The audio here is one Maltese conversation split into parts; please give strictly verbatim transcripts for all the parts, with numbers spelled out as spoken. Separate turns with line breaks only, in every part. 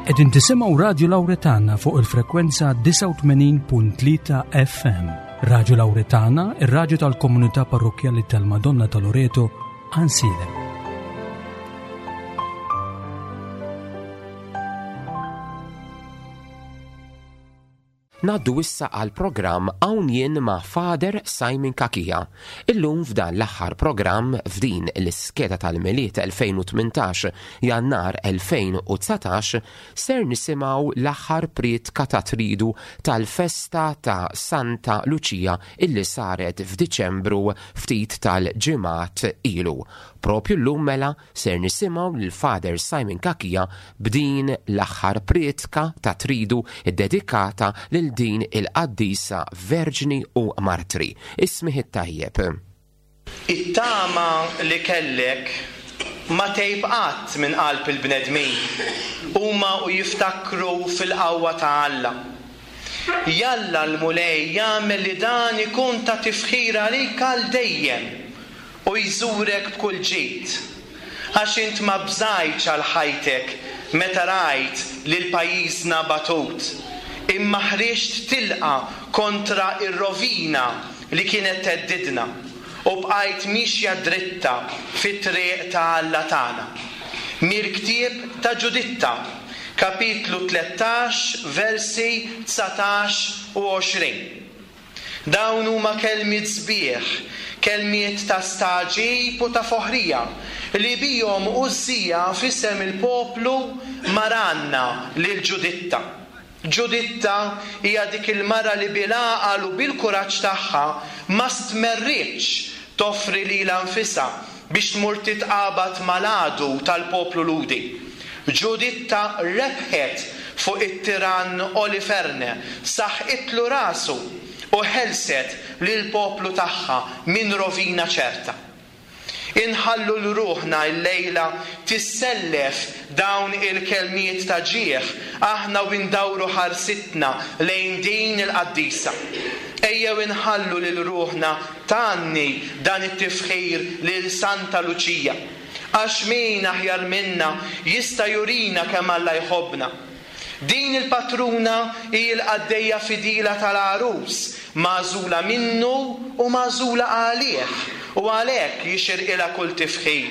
Qegħdin tisimgħu Radio Lauretana fuq il-frekwenza disgħa u tmenin punt tlieta F M. Radio Lauretana, ir-radju tal-komunità parrokkjali tal-Madonna ta' Loreto, Għajnsielem.
Ngħaddu issa għal programm Hawn Jien ma' Father Simon Cachia. Illum f'dan l-aħħar programm f'din l-iskeda tal-Milied elfejn u tmintax Jannar elfejn u dsatax ser nisimgħu l-aħħar prietka ta' tridu tal-festa ta' Santa Lucia illi saret f'Diċembru, ftit tal-ġimgħat ilu. Propju llum mela ser nisimgħu lil Father Simon Cachia b'din l-aħħar prietka ta' tridu iddedikata lil din il-qaddisa Verġni u Martri. Ismigħ it-tajjeb.
It-tama li kellek ma tgħib qatt minn qalb il-bnedmin, huma u jiftakru fil-qawwa ta' Alla. Jalla l-Mulej jagħmel li dan ikun ta' tifħir għalik għal dejjem u jżurek b'kull ġid. Għax int ma bżajtx għal ħajtek meta rajt lil pajjiżna batut, imma ħriġt tilqa kontra ir-rovina li kienet theddidna u bqajt mixja dritta fit-triq ta' Alla tagħna. Mill-ktieb ta' Ġuditta, kapitlu tlettax, versi dsatax u għoxrin. Dawn huma kelmiet sbieħ, kelmiet ta' stagħġib u ta' foħrija, li bihom Użija f'isem il-poplu mar għanna lil Ġuditta. Ġuditta hija dik il-mara li bil-għaqal u bil-kuraġġ tagħha ma stmerritx toffri lilha nfisha biex tmur titqabad mal-għadu tal-poplu Lhudi. Ġuditta rebħet fuq it-tiran Oliferne, saħqitlu rasu u ħelset lil poplu tagħha minn rovina ċerta. Inħallu lil ruħna l-lejla tissellef dawn il-kelmiet ta' ġieħ aħna u ndawru ħarsitna lejn din il-qaddisa. Ejjew inħallu lil ruħna tgħanni dan it-tifħir lil Santa Luċija. Għax min aħjar minna jista' jurina kemm Alla jħobbna. Din il-patruna hi l-qaddejja fidila tal-għarus, magħżula minnu u magħżula għalih, u għalhekk jixirqilha kull tifħir.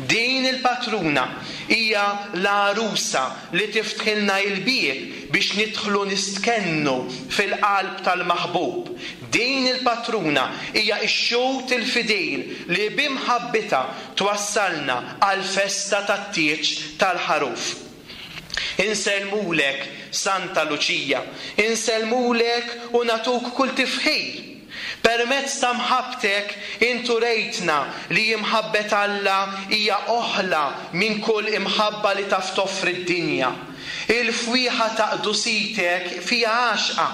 Din il-patruna hija l-għarusa li tiftħilna il-bieb biex nidħlu nistkennu fil-qalb tal-maħbub. Din il-patruna hija x-xhud il-fidil li b'imħabbitha twassalna għal-festa tat-tieġ tal-ħaruf. Insellmulek, Santa Luċija, insellmulek u nagħtuk kull tifħir. Permezz ta' mħabbtek int urejtna li imħabbet Alla hija oħla minn kull imħabba li taf toffri d-dinja. Il-fwieħa ta' qdusitek fija għaxqa.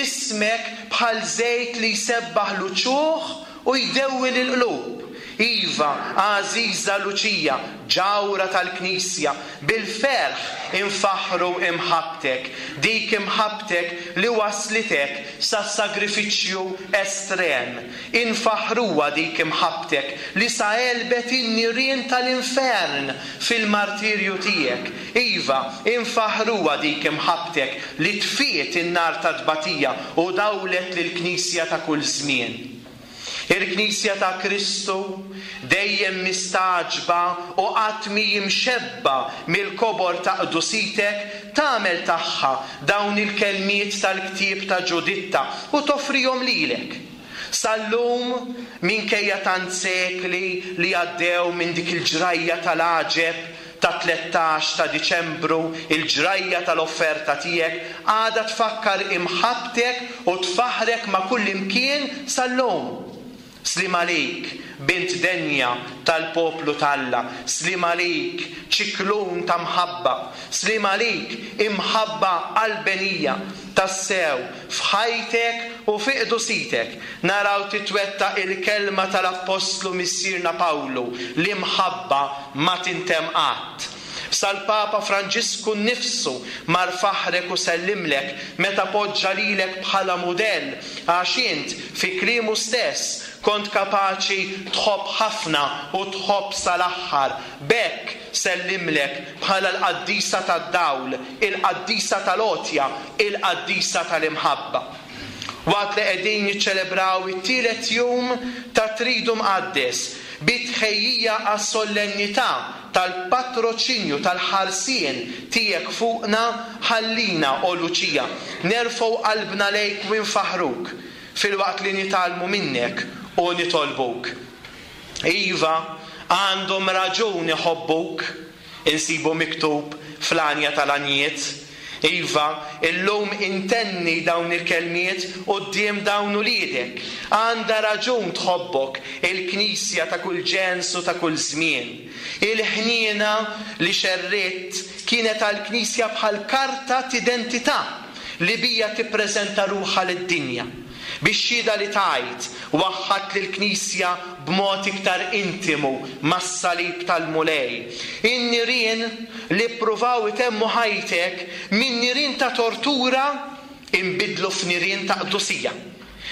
Ismek bħal żejt li jsebbaħ l-uċuħ u jdewwi l-qlub. Iva, għażiża Luċija, ġawhra tal-Knisja, bil-ferħ infaħru imħabbtek, dik imħabbtek li waslitek sa sagrifiċċju estrem. Infaħruha dik imħabbtek li sa għelbet in-nirien tal-infern fil-martirju tiegħek. Iva, infaħruha dik imħabbtek li tfiet in-nar ta' tbatija u dawlet lill-Knisja ta' kull żmien. Il-Knisja ta' Kristu dejjem mistagħġba u qatt mhi mxebba mill-kobor ta' qdusitek tagħmel tagħha dawn il-kelmiet tal-ktieb ta' Ġuditta u toffrihom lilek. Sal-lum, minkejja tant sekli li għaddew minn dik il-ġrajja tal-għaġeb ta' tlettax ta' Diċembru, il-ġrajja tal-offerta tiegħek għadha tfakkar imħabbtek u tfaħrek ma' kull imkien sal-lum. Sliem għalik, bint denja tal-poplu t'Alla, sliem għalik, ċiklun ta' mħabba, sliem għalik, imħabba qalbenija, tassew, f'ħajtek u fi qdusitek, naraw titwettaq il-kelma tal-Appostlu Missierna Pawlu, l-imħabba ma tintemm qatt. Sal-Papa Franġisku nnifsu mar faħrek u sellimlek meta poġġa lilek bħala mudell, għax int fi kliemu stess Kont kapaċi tħobb ħafna u tħobb sal-aħħar. B'hekk sellimlek bħala l-qaddisa tad-dawl, il-qaddisa tal-għotja, il-qaddisa tal-imħabba. Waqt li qegħdin niċċelebraw it-tielet jum ta' Tridu Mqaddes bi tħejjija għas-solennità tal-patroċinju tal-ħarsien tiegħek fuqna, ħallina, o Luċija, nerfgħu qalbna lejk u nfaħruk filwaqt li nitgħallmu minnek u nitolbuk. Iva, għandhom raġun iħobbuk, insibu miktub fl-Għanja tal-Għanjiet. Iva, illum intenni dawn il-kelmiet quddiem dawn uliedek. Għandha raġun tħobbok il-Knisja ta' kull ġens u ta' kull żmien. Il-ħniena li xerritt kienet għall-Knisja bħal karta t'identità li bija tippreżenta ruħha lid-dinja. Bix-xhieda li tajt, waħħadt lill-Knisja b'mod iktar intimu mas-salib tal-Mulej. In-nirien li ppruvaw itemmu ħajtek minn nirien ta' tortura inbidlu f'nirien ta' qdusija.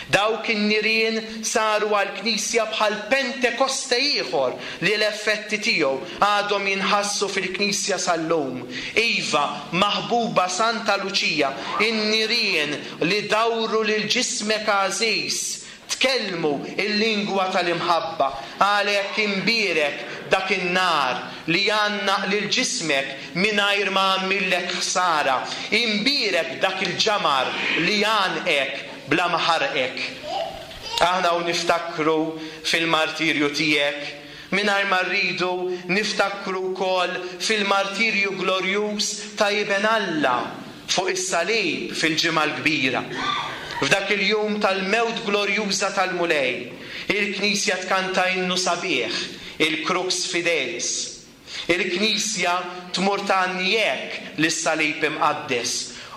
Dawk in-nirien saru għall-Knisja bħal Pentekoste ieħor li l-effetti tiegħu għadhom jinħassu fil-Knisja sal-lum. Iva, maħbuba Santa Luċija, in-nirien li dawru lil ġismek għażiż tkellmu il-lingwa tal-imħabba. Għalhekk imbierek dak in-nar li għannaq lil ġismek mingħajr ma għamillek ħsara. Imbierek dak il-ġamar li għanqek bla ma ħarqek. Aħna u niftakru fil-martirju tiegħek, mingħajr ma rridu niftakru wkoll fil-martirju glorjuż ta' Iben Alla fuq is-salib fil-Ġimgħa l-Kbira. F'dak il-jum tal-mewt glorjuża tal-Mulej, il-Knisja tkanta innu sabiħ, il-Crux Fidelis. Il-Knisja tmur tgħanni hekk lis-salib imqaddes: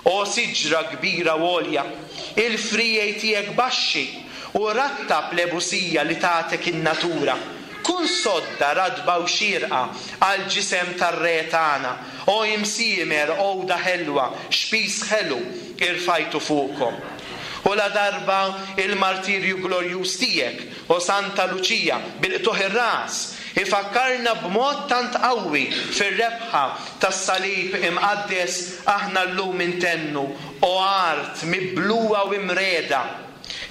O siġra kbira u għolja, il-frijej tiegħek baxxi u rattab l-ebusija li tagħtek in-natura. Kun sodda radba u xirqa għal ġisem tar-re tagħna. O imsiemer, għoda ħelwa, xpis ħelu irfajtu fuqkom. U la darba il-martirju glorjuż tiegħek, o Santa Luċija, bil-qtuħ ir-ras, ifakkarna b'mod tant qawwi fir-rebħa tas-salib imqaddes, aħna llum intennu: o art mibluwa u imreda,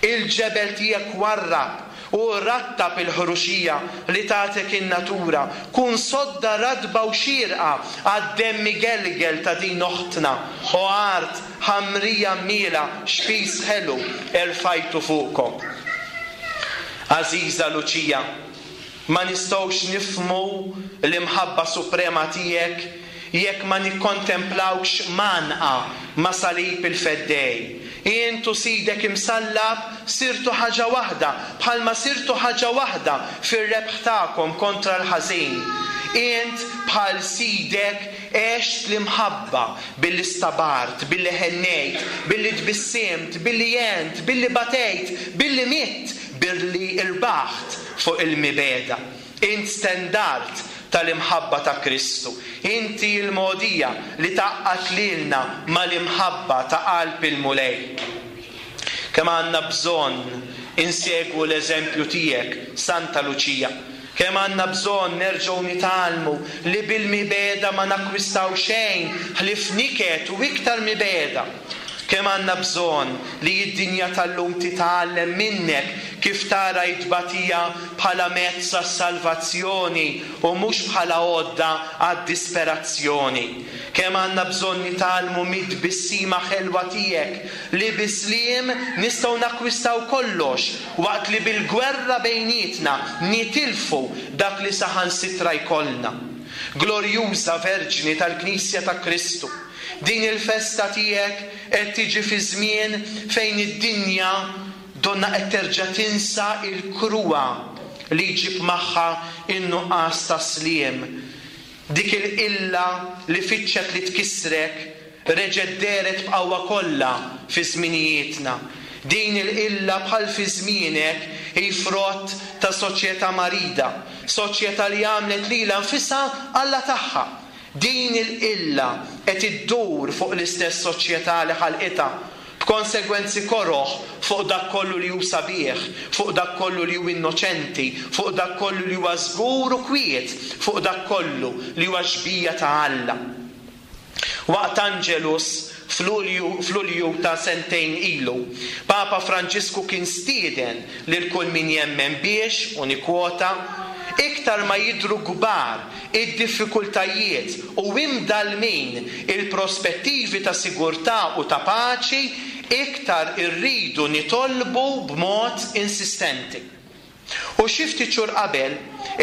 il-ġebel tiegħek warrab u rattab il-ħruxija li tagħtek in-natura. Kun sodda radba u xirqa għad-demm igelgel ta' din oħtna. O art ħamrija miela, xpis ħelu erfajtu fuqkom. Għażiża Luċija, ma nistgħux nifhmu l-imħabba suprema tiegħek jekk ma nikkontemplawx manqa ma' salib il-Feddej. Int u sidek imsallab sirtu ħaġa waħda, bħalma sirtu ħaġa waħda fir-rebħ tagħkom kontra l-ħażin. Int bħal sidek għext l-imħabba billi stabart, billi ħennejt, billi tbissimt, billi għent, billi batejt, billi mitt, billi irbaħt fuq il-mibeda. Int stendart tal-imħabba ta' Kristu. Inti l-mogħdija li tgħaqqad lilna mal-imħabba ta' qalb il-Mulej. Kemm għandna bżonn insegwu l-eżempju tiegħek, Santa Luċija. Kemm għandna bżonn nerġgħu nitgħallmu li bil-mibeda ma nakkwistaw xejn ħlief niket u iktar mibeda. Kemm għandna bżonn li d-dinja tal-lum titgħallem minnek kif tara t-tbatija bħala mezz għas-salvazzjoni u mhux bħala għodda għad-disperazzjoni. Kemm għandna bżonn nitgħallmu mid-tbissima ħelwa tiegħek li bisliem nistgħu nakkwistaw kollox waqt li bil-gwerra bejnietna nitilfu dak li saħansitra jkollna. Glorjuża Verġni tal-Knisja ta' Kristu, din il-festa tiegħek qed tiġi fi żmien fejn id-dinja donna qed terġa' tinsa l-kruha li jġib magħha in-nuqqas ta' sliem. Dik il-qilla li fittxet li tkissrek reġgħet dehret b'qawwa kollha fi żminijietna. Din il-qilla bħal fi żmienek hi frott ta' soċjetà marida, soċjetà li għamlet lilha nfisha Alla tagħha. Din il-qilla qed iddur fuq l-istess soċjetà li ħalqitha B'konsegwenzi koroh fuq dak kollu li hu sabiħ, fuq dak kollu li hu innoċenti, fuq dak kollu li huwa żgur u kwiet, fuq dak kollu li huwa xbieha ta' Alla. Waqt Angelus f'Lulju f'Lulju ta' sentejn ilu, Papa Franġisku kien stieden lil kull min jemmen biex, u nikkwota, iktar ma jidhru kbar id-diffikultajiet u imdallmin il-prospettivi ta' sigurtà u ta' paċi, iktar irridu nitolbu b'mod insistenti. U xi ftit xhur qabel,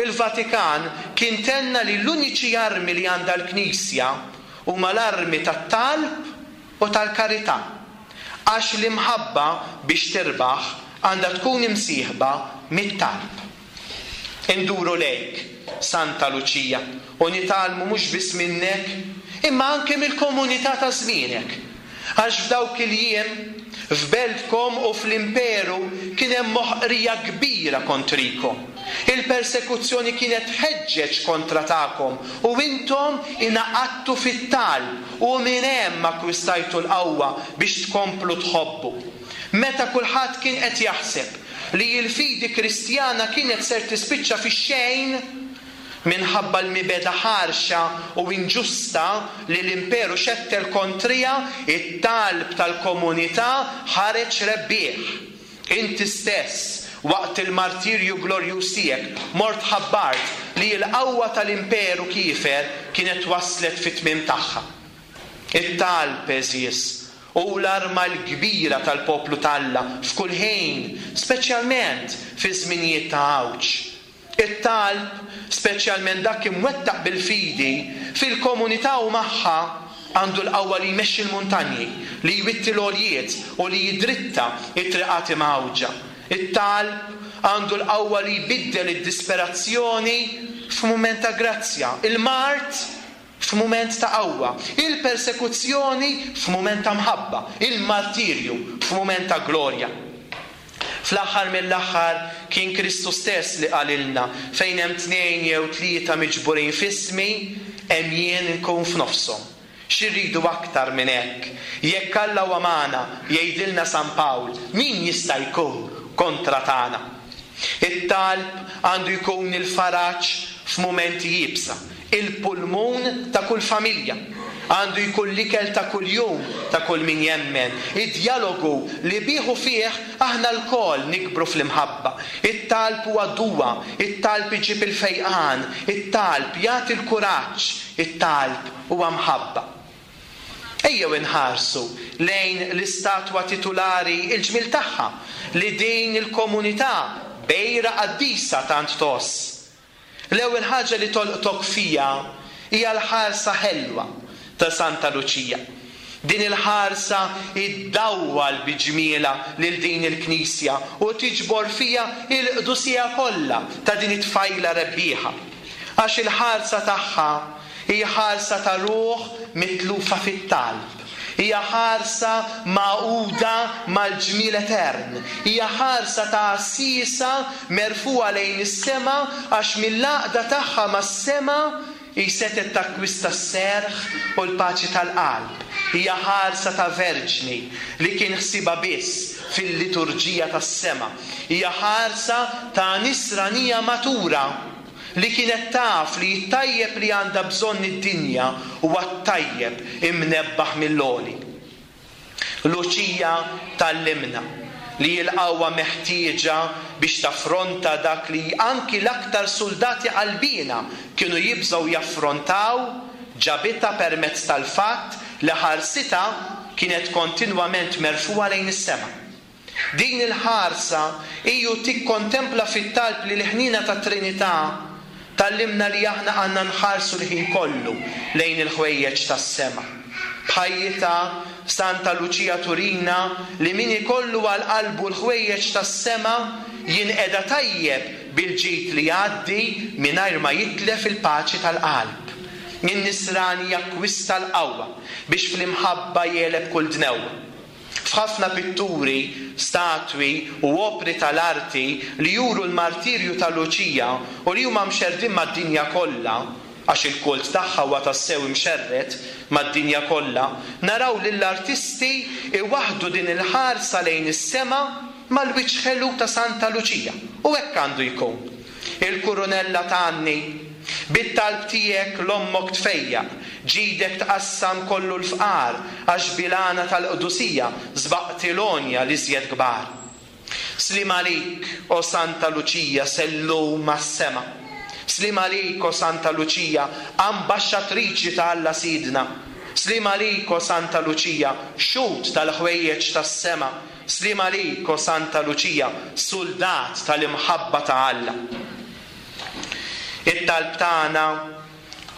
il-Vatikan kien tenna li l-uniċi armi li għandha l-Knisja huma l-armi tat-talb u tal-karità, għax l-imħabba biex tirbaħ għandha tkun imsieħba mit-talb. Induru lejk, Santa Luċija, u nitgħallmu mhux biss minnek, imma anke mill-komunità ta' żmienek. Għax f'dawk il-jiem, f'beltkom u fl-imperu kien hemm moħqrija kbira kontrikom. Il-persekuzzjoni kienet tħeġġeġ kontra tagħkom u intom ingħaqadtu fit-talb u minn hemm akkwistajtu l-qawwa biex tkomplu tħobbu. Meta kulħadd kien qed jaħseb li l-fidi Kristjana kienet ser tispiċċa fix-xejn minħabba l-mibegħda ħarxa u inġusta li l-imperu xettel kontrija, it-talb tal-komunità ħareġ rebbieħ. Inti stess, waqt il-martirju glorjuż tiegħek, mort ħabbart li l-qawwa tal-imperu kiefer kienet waslet fit-tmiem tagħha. It-talb, għeżież, hu l-arma l-kbira tal-poplu t'Alla f'kull ħin, speċjalment fi żminijiet ta' għawġ. It-talb, speċjalment dak imwettaq bil-fidi, fil-komunità u magħha, għandu l-qawwa li jmexxi l-muntanji, li jwitti l-għoljiet u li jidritta t-triqat imgħawġa. It-talb għandu l-qawwa li jbiddel id-disperazzjoni f'mument ta' grazzja, il-mard f'mument ta' qawwa, il-persekuzzjoni f'mument ta' mħabba, il-martirju f'mument ta' glorja. Fl-aħħar mill-aħħar kien Kristu stess li qalilna, fejn hemm tnejn jew tlieta miġburin f'ismi, hemm jien nkun f'nofshom. X'irridu aktar minn hekk? Jekk Alla huwa magħna, jgħidilna San Pawl, min jista' jkun kontra tagħna? It-talb għandu jkun il-faraġ f'mumenti iebsa, il-pulmun ta' kull familja. Għandu jkun l-ikel ta' kuljum ta' kull min jemmen, id-dialogu li bih u fih aħna lkoll nikbru fl-imħabba. It-talb huwa duwa, it-talb iġib il-fejqan, it-talb jagħti l-kuraġġ, it-talb huwa mħabba. Ejjew inħarsu lejn l-istatwa titulari il-ġmiel tagħha li din il-komunità bejra qaddisa tant tgħożż. L-ewwel ħaġa li tolqtok fija hija l-ħarsa ħelwa ta' Santa Luċija. Din il-ħarsa iddawwal bi ġmielha lil din il-knisja u tiġbor fija il-qdusija kollha ta' din it-tfajla rebbieħa. Għax il-ħarsa tagħha hija ħarsa ta' ruħ mitlufa fit-talb. Hija ħarsa magħquda mal-ġmiel etern. Hija ħarsa ta' għassiesa merfugħa lejn is-sema għax mill-għaqda tagħha mas-sema hi setgħet takkwista s-serħ u l-paċi tal-qalb. Hija ħarsa ta' verġni li kien ħsiebha biss fil-liturġija tas-sema. Hija ħarsa ta' nisranija matura li kienet taf li t-tajjeb li għandha bżonn id-dinja huwa t-tajjeb imnebbaħ mill-għoli. Luċija tgħallimna li l-qawwa meħtieġa biex taffronta dak li anki l-aktar soldati qalbina kienu jibżgħu jaffrontaw, ġabitha permezz tal-fatt li ħarsitha kienet kontinwament merfugħa lejn is-sema. Din il-ħarsa hiju tikkontempla fit-talb li l-ħniena tat-Trinità tgħallimna li aħna għandna nħarsu l-ħin kollu lejn il-ħwejjeġ tas-sema. B'ħajjitha Santa Luċija turina li min ikollu għal qalbu l-ħwejjeġ tas-sema jinqeda tajjeb bil-ġid li jgħaddi mingħajr ma jitlef il-paċi tal-qalb. In-nisrani jakkwista l-qawwa biex fl-imħabba jegħleb kull dnewwa. F'ħafna pitturi, statwi u opri tal-arti li juru l-martirju ta' Luċija u li huma mxerdin mad-dinja kollha, għax il-kult tagħha huwa tassew imxerred mad-dinja kollha, naraw lill-artisti iwaħħdu din il-ħarsa lejn is-sema mal-wiċċ ħelu ta' Santa Luċija. U hekk għandu jkun. Il-kurunella tgħanni, bit-talb tiegħek l-ommok tfejjaq, ġidek tqassam kollu l-fqar, għax bil-għana tal-qdusija sbaqt il-għonja l-iżjed kbar. Sliem għalik, o Santa Luċija, sellum għas-sema. Sliem għalik, o Santa Luċija, ambaxxatriċi ta' Alla Sidna. Sliem għalik, o Santa Luċija, xhud tal-ħwejjeġ tas-sema. Sliem għalik, o Santa Luċija, suldat tal-imħabba ta' Alla. It-talb tagħna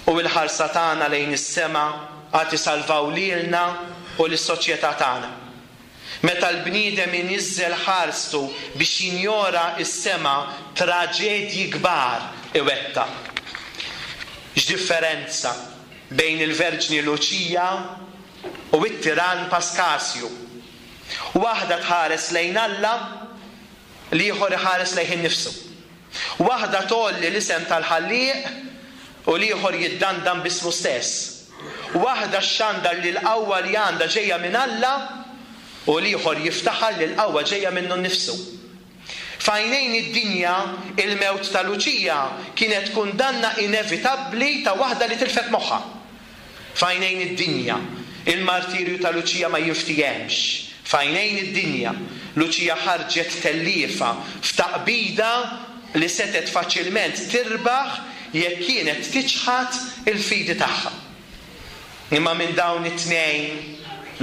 u l-ħarsa tagħna lejn is-sema għad isalvaw lilna u lis-soċjetà tagħna. Meta l-bniedem iniżżel ħarstu biex jinjora s-sema, traġedji kbar iwettaq. X'differenza bejn il-Verġni Luċija u t-tiran Paskasju. Waħda tħares lejn Alla, l-ieħor iħares lejh innifsu. Waħda tgħolli l-isem tal-Ħallieq u l-ieħor jiddandan b'ismu stess. Waħda xxandar li l-qawwa li għandha ġejja minn Alla u l-ieħor jiftaħar li l-qawwa ġejja minnu nnifsu. F'għajnejn id-dinja, il-mewt ta' Luċija kienet kundanna inevitabbli ta' waħda li tilfet moħħha. F'għajnejn id-dinja, il-martirju ta' Luċija ma jinftihemx. F'għajnejn id-dinja, Luċija ħarġet telliefa f'taqbida li setgħet faċilment tirbaħ jekk kienet tiċħad il-fidi tagħha. Imma minn dawn it-tnejn,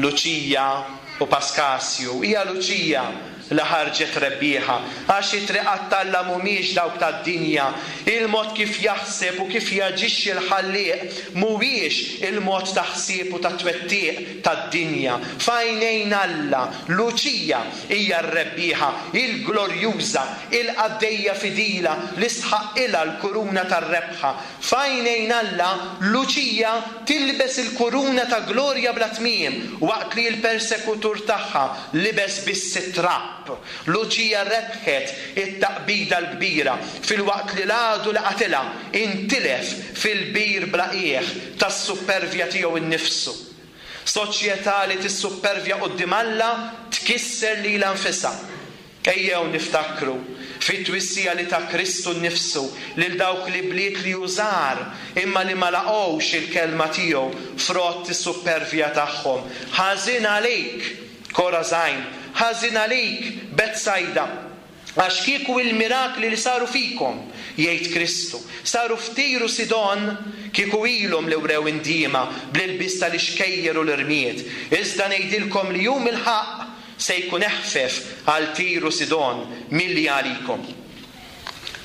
Luċija u Paskasju, hija Luċija li ħarġet rebbieħa, għax it-triqat t'Alla mhumiex dawk tad-dinja. Il-mod kif jaħseb u kif jaġixxi l-Ħallieq mhuwiex il-mod ta' ħsieb u ta' twettiq tad-dinja. F'għajnejn Alla, Luċija hija r-rebbieħa, il-glorjuża, il-qaddejja fidila li stħaqqilha l-kuruna tar-rebħa. F'għajnejn Alla, Luċija tilbes il-kuruna ta' glorja bla tmiem, waqt li l-persekutur tagħha libes biss it-trab. Luċija rebħet it-taqbida l-kbira filwaqt li l-għadu li qatilha intilef fil-bir bla qiegħ tas-suppervja tiegħu nnifsu. Soċjetà li tissuppervja quddiem Alla tkisser lilha nfisha. Ejjew niftakru fit-twissija li ta' Kristu nnifsu lil dawk li bliet li jużar imma li ma laqgħux il-kelma tiegħu frott is-suppervja tagħhom. Ħażin għalik, Korazajn, ħażin għalik, Betsajda, għax kieku il-mirakli li saru fikom, jgħid Kristu, saru f'Tir u Sidon, kieku ilhom li wrew indiema bl-ilbies tal-ixkejjer u l-irmied. Iżda ngħidilkom li jum il-ħaqq se jkun eħfef għal Tir u Sidon milli għalikom.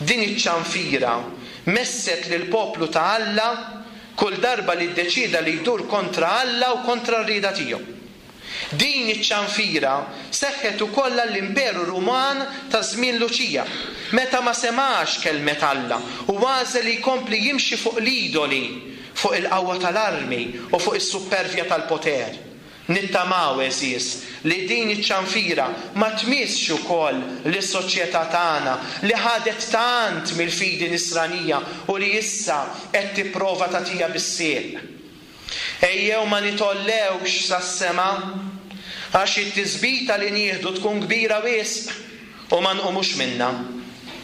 Din iċ-ċanfira messet lil poplu ta' Alla kull darba li ddeċida li jdur kontra Alla u kontra r-rieda tiegħu. Din iċ-ċanfira seħħet ukoll għall-Imperu Ruman ta' żmien Luċija, meta ma semax kelmet Alla u għażel li jkompli jimxi fuq l-idoli, fuq il-qawwa tal-armi u fuq is-suppervja tal-poter. Nittamaw, għeżież, li din iċ-ċanfira ma tmissx ukoll lis-soċjetà tagħna li ħadet tant mill-fidi nisranija u li issa qed tipprova tagħtiha bis-sieq. Ejjew ma nitollewx sas-sema, għax it-tisbita li nieħdu tkun kbira wisq u ma nqumux minna.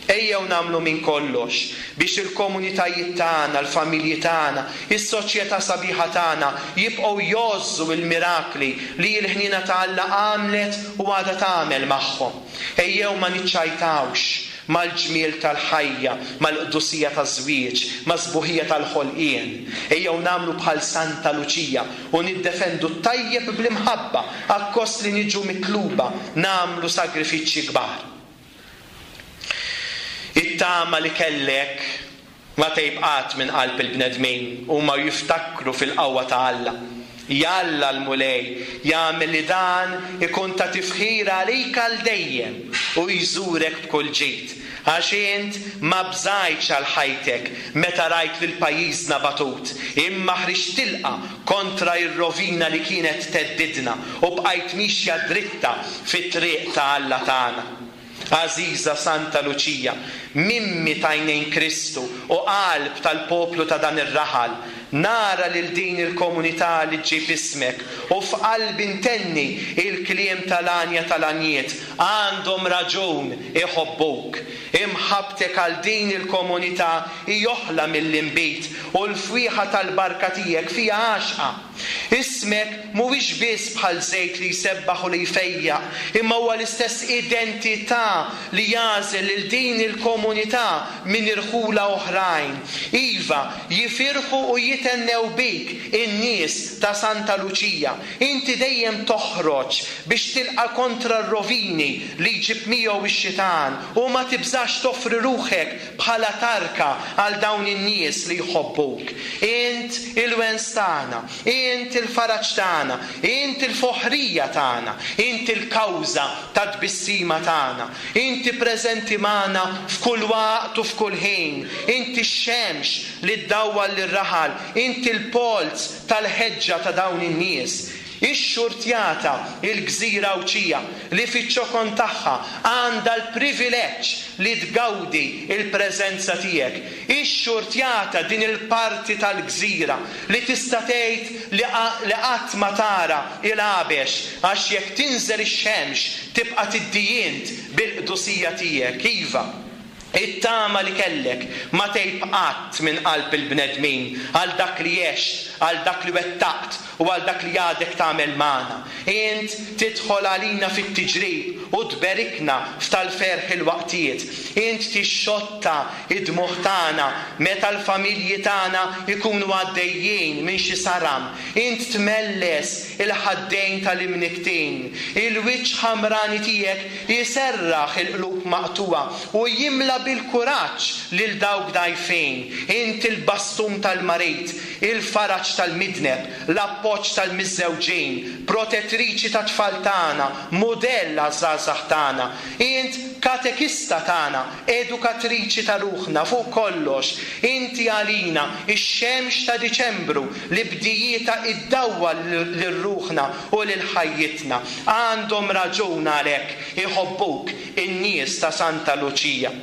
Ejjew nagħmlu minn kollox biex il-komunitajiet tagħna, l-familji tagħna, is-soċjetà sabiħa tagħna jibqgħu jgħożżu l-mirakli li l-ħniena ta' Alla għamlet u għadha tagħmel magħhom. Ejjew ma niċċajtawx mal-ġmiel tal-ħajja, mal-qdusija taż-żwieġ, maż-sbuħija tal-ħolqien. Ejjew nagħmlu bħal Santa Luċija u niddefendu t-tajjeb bl-imħabba akkost li niġu mitluba nagħmlu sagrifiċċji kbar. It-tama li kellek ma tgħib qatt minn qalb il-bnedmin, huma jiftakru fil-qawwa ta' Alla. Jalla l-Mulej jagħmel li dan ikun ta' tifħir għalik għal dejjem u jżurek b'kull ġid, għax int ma bżajtx għal ħajtek meta rajt lil pajjiżna batut, imma ħriġt tilqa kontra r-rovina li kienet theddidna u bqajt mixja dritta fit-triq ta' Alla tagħna. Għażiża Santa Luċija, mimmi t'għajnejn Kristu u qalb tal-poplu ta' dan ir-raħal, nara lil din il-komunità li ġġib ismek u f'qalbi ntenni il-kliem tal-għanja tal-għanjiet, għandhom raġun iħobbuk. Imħabbtek għal din il-komunità hi oħla mill-inbid u l-fwieħa tal-barka tiegħek fiha għaxqa. Ismek mhuwiex biss bħal żejt li jsebbaħ u li jfejjaq, imma huwa l-istess identità li jagħżel lil din il-komunità minn irħula oħrajn. Iva, jifirħu u jithennew bik in-nies ta' Santa Luċija. Inti dejjem toħroġ biex tilqa' kontra r-rovini li jġib miegħu x-xitan u ma tibżax toffri ruħek bħala tarka għal dawn in-nies li jħobbuk. Int il-wens tagħna, int il-faraġ tagħna, int il-foħrija tagħna, int il-kawża tat-tbissima tagħna, inti preżenti magħna f'kull waqt u f'kull ħin, inti x-xemx li ddawwal lir-raħal, inti l-polz tal-ħeġġa ta' dawn in-nies. Ix-xurtjata il-gżira Għawdxija li fiċ-ċokon tagħha għandha l-privileġġ li tgawdi il-preżenza tiegħek. Ix-xurtjata din il-parti tal-gżira li tista' tgħid li qatt ma tara il-għabex, għax jekk tinżel ix-xemx tibqa' tiddijint bil-qdusija tiegħek. Iva, it-tama li kellek ma tgħib qatt minn qalb il-bnedmin għal dak li għext, għal dak li wettaqt u għal dak li għadek tagħmel magħna. Int tidħol għalina fit-tiġrib u tberikna f'tal-ferħ il-waqtiet. Int tixxotta id-dmugħ tagħna meta l-familji tagħna jkunu għaddejjin minn xi saram. Int tmelles il-ħaddejn tal-imniktin. Il-wiċċ ħamrani tiegħek jiserraħ il-qlub maqtuwa u jimla bil-kuraġġ lil dawk dgħajfin. Int il-bastun tal-marid, il-faraġ tal-midneb, l-appoġġ tal-miżżewġin, protettriċi ta' tfal tagħna, mudell għaż-żgħażagħ tagħna. Int katekista tagħna, edukatriċi ta' ruħna fuq kollox. Inti għalina ix-xemx ta' Diċembru li bdijieta iddawwal lil ruħna u lil ħajjitna. Għandhom raġun għalhekk iħobbuk in-nies ta' Santa Luċija.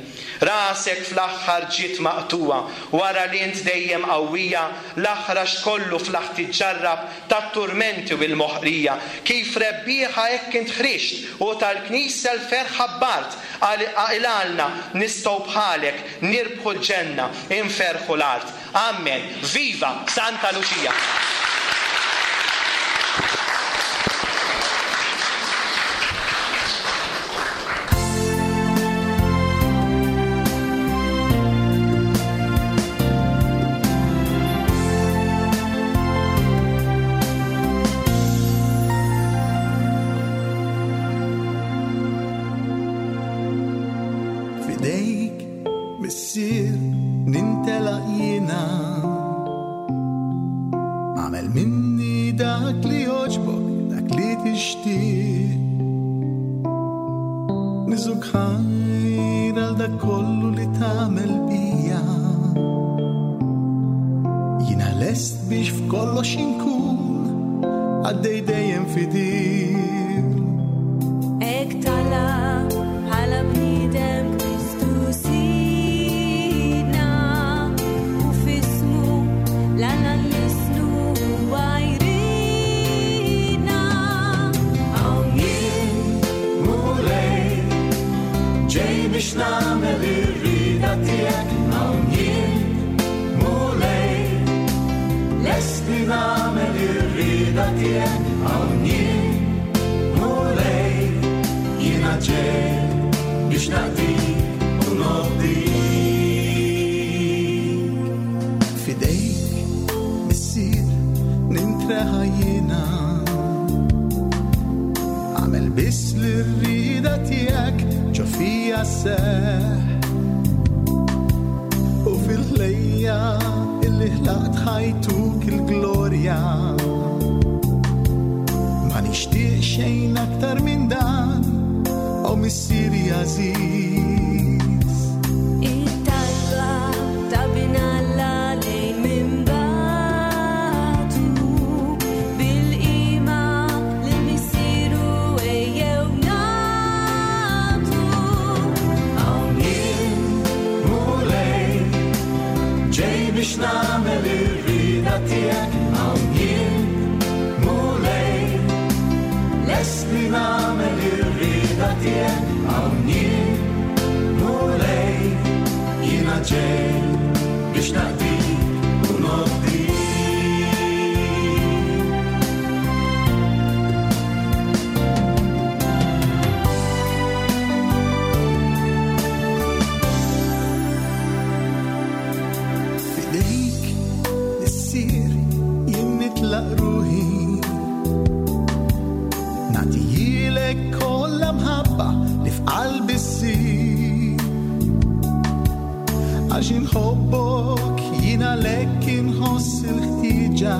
Rasek fl-aħħar ġiet maqtuwa wara li int dejjem qawwija, l-aħrax kollu fl-aħ tiġġarrab tat-turmenti u l-moħqrija. Kif rebbieħa hekk int ħriġt u tal-Knisja l-ferħ ħabbart, għalna nistgħu bħalek nirbħu l-ġenna, inferħu l-art. Amen. Viva Santa Luċija!
nagħmel ir-rieda tiegħek. Hawn jien, Mulej, lest li nagħmel ir-rieda tiegħek. Hawn jien, Mulej, jiena ġej biex naqdik u nobdik. Fidejk Missier jien nitlaq ruħi, nagħtihilek kollha mħabba li f'qalbi ssir. Għax inħobbok jien għalhekk inħoss il-ħtieġa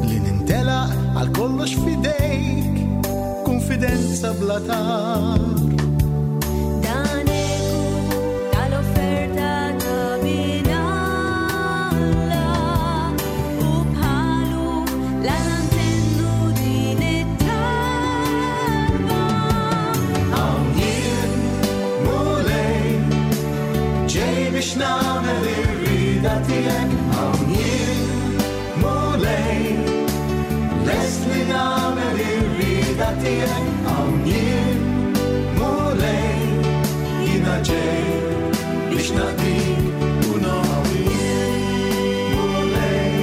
li nintelaq għal kollox f'idejk, konfidenza bla tar.
Dan eku tal-offerta ta' bin Alla, u bħalu l-Alla ntennu din it-talba.
Hawn jien, Mulej, ġej biex nagħmel ir-rieda tiegħek. Hawn jien, Mulej, lest li nagħmel ir-rieda tiegħek. Hawn jien, Mulej, jiena ġej biex naqdik u nobdik. Mulej.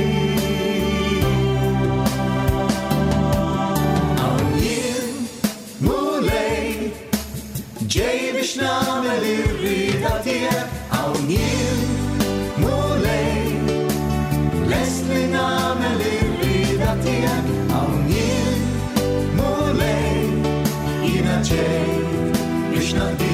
Hawn jien, Mulej, ġej biex nagħmel ir-rieda tiegħek. Hawn jien, Mulej, lest li nagħmel ir-rieda tiegħek. Hawn jien, Mulej, jiena ġej biex naqdik.